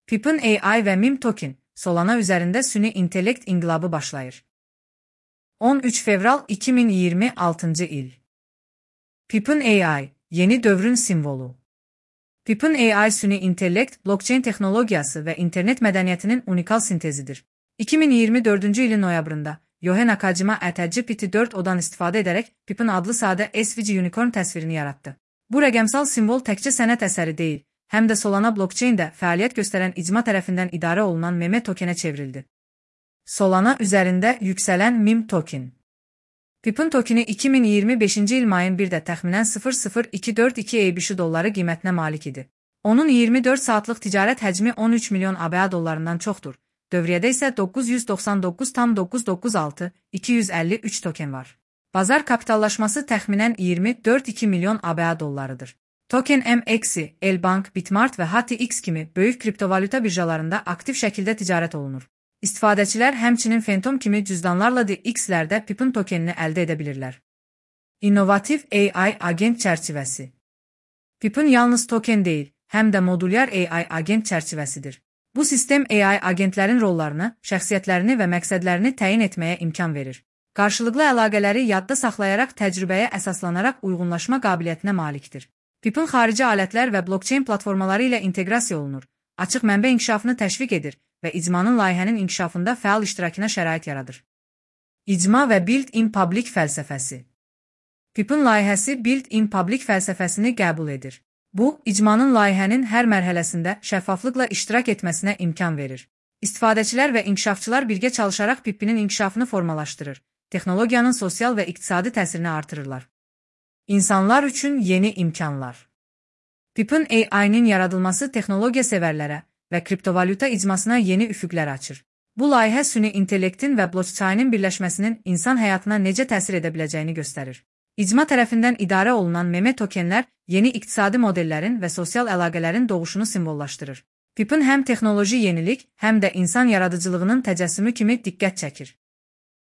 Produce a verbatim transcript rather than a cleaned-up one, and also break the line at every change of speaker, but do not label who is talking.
Pipin A I ve meme token, Solana üzerinde süni intellekt inqilabı başlayır. on üç Fevral iki bin iyirmi altıncı il. Pipin A I, yeni dövrün simvolu. Pipin A I süni intellekt, blockchain teknologiyası ve internet medeniyetinin unikal sintezidir. iki bin iyirmi dördüncü ilin noyabrında, Yohe Nakajima ChatGPT dört odan istifadə edərək Pipin adlı sadə S V G unicorn təsvirini yarattı. Bu rəqəmsal simvol təkcə sənət əsəri deyil, həm də Solana blockchain-də fəaliyyət göstərən icma tərəfindən idarə olunan meme tokenə çevrildi. Solana üzərində yüksələn meme token. Pipin tokeni iki bin iyirmi beşinci il mayın birdə təxminən sıfır nöqtə sıfır iki dörd iki EBSH dolları qiymətinə malik idi. Onun iyirmi dörd saatlıq ticarət həcmi on üç milyon ABŞ dollarından çoxdur. Dövriyyədə isə doqquz yüz doxsan doqquz tam doqquz yüz doxsan altı iki yüz əlli üç token var. Bazar kapitallaşması təxminən iyirmi dörd nöqtə iki milyon ABŞ dollarıdır. Token M X, Elbank, Bitmart və H T X kimi böyük kriptovalyuta birjalarında aktiv şəkildə ticarət olunur. İstifadəçilər həmçinin Phantom kimi cüzdanlarla D X-lərdə Pipin tokenini əldə edə bilirlər. İnnovativ A I agent çərçivəsi. Pipin yalnız token deyil, həm də modulyar A I agent çərçivəsidir. Bu sistem A I agentlərin rollarını, şəxsiyyətlərini və məqsədlərini təyin etməyə imkan verir. Qarşılıqlı əlaqələri yadda saxlayaraq təcrübəyə əsaslanaraq uyğunlaşma qabiliyyətinə malikdir. Pipin xarici alətlər və blockchain platformaları ilə inteqrasiya olunur, açıq mənbə inkişafını təşviq edir və icmanın layihənin inkişafında fəal iştirakına şərait yaradır. İcma və Build in Public fəlsəfəsi. Pipin layihəsi Build in Public fəlsəfəsini qəbul edir. Bu, icmanın layihənin hər mərhələsində şəffaflıqla iştirak etməsinə imkan verir. İstifadəçilər və inkişafçılar birgə çalışaraq Pipinin inkişafını formalaşdırır, texnologiyanın sosial və iqtisadi təsirini artırırlar. İnsanlar üçün yeni imkanlar. Pipin A I-nin yaradılması texnologiya sevərlərə və kriptovalyuta icmasına yeni üfüqlər açır. Bu layihə süni intellektin və blockchainin birləşməsinin insan həyatına necə təsir edə biləcəyini göstərir. İcma tərəfindən idarə olunan meme tokenlər yeni iqtisadi modellərin və sosial əlaqələrin doğuşunu simvollaşdırır. Pipin həm texnoloji yenilik, həm də insan yaradıcılığının təcəssümü kimi diqqət çəkir.